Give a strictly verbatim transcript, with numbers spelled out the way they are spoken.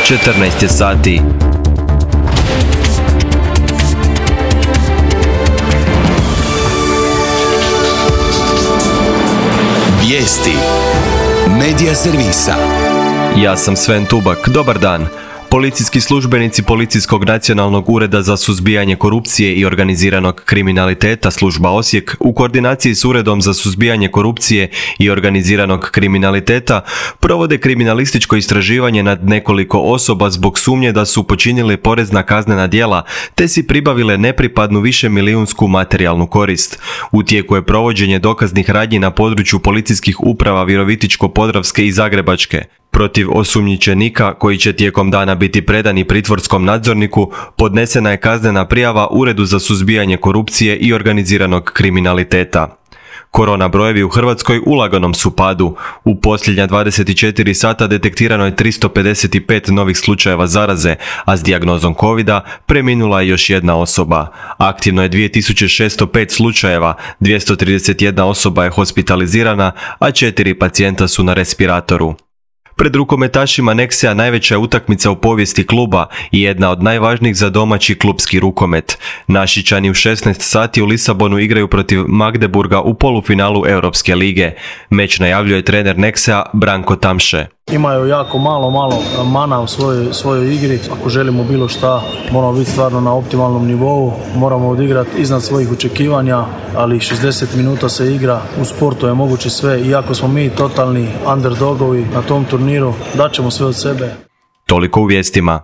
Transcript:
četrnaest je sati. Vijesti Medija servisa. Ja sam Sven Tubak, dobar dan. Policijski službenici Policijskog nacionalnog ureda za suzbijanje korupcije i organiziranog kriminaliteta služba Osijek u koordinaciji s Uredom za suzbijanje korupcije i organiziranog kriminaliteta provode kriminalističko istraživanje nad nekoliko osoba zbog sumnje da su počinili porezna kaznena djela te si pribavile nepripadnu višemilijunsku materijalnu korist. U tijeku je provođenje dokaznih radnji na području policijskih uprava Virovitičko-podravske i Zagrebačke. Protiv osumnjičenika, koji će tijekom dana biti predani pritvorskom nadzorniku, podnesena je kaznena prijava Uredu za suzbijanje korupcije i organiziranog kriminaliteta. Korona brojevi u Hrvatskoj u laganom su padu. U posljednja dvadeset četiri sata detektirano je tristo pedeset pet novih slučajeva zaraze, a s dijagnozom covida preminula je još jedna osoba. Aktivno je dvije tisuće šesto pet slučajeva, dvjesto trideset jedna osoba je hospitalizirana, a četiri pacijenta su na respiratoru. Pred rukometašima Nexea najveća je utakmica u povijesti kluba i jedna od najvažnijih za domaći klubski rukomet. Našičani u šesnaest sati u Lisabonu igraju protiv Magdeburga u polufinalu Europske lige. Meč najavljuje trener Nexea Branko Tamše. Imaju jako malo, malo mana u svojoj, svojoj igri. Ako želimo bilo šta, moramo biti stvarno na optimalnom nivou. Moramo odigrati iznad svojih očekivanja, ali šezdeset minuta se igra. U sportu je moguće sve. Iako smo mi totalni underdogovi na tom turniru, daćemo sve od sebe. Toliko u vijestima.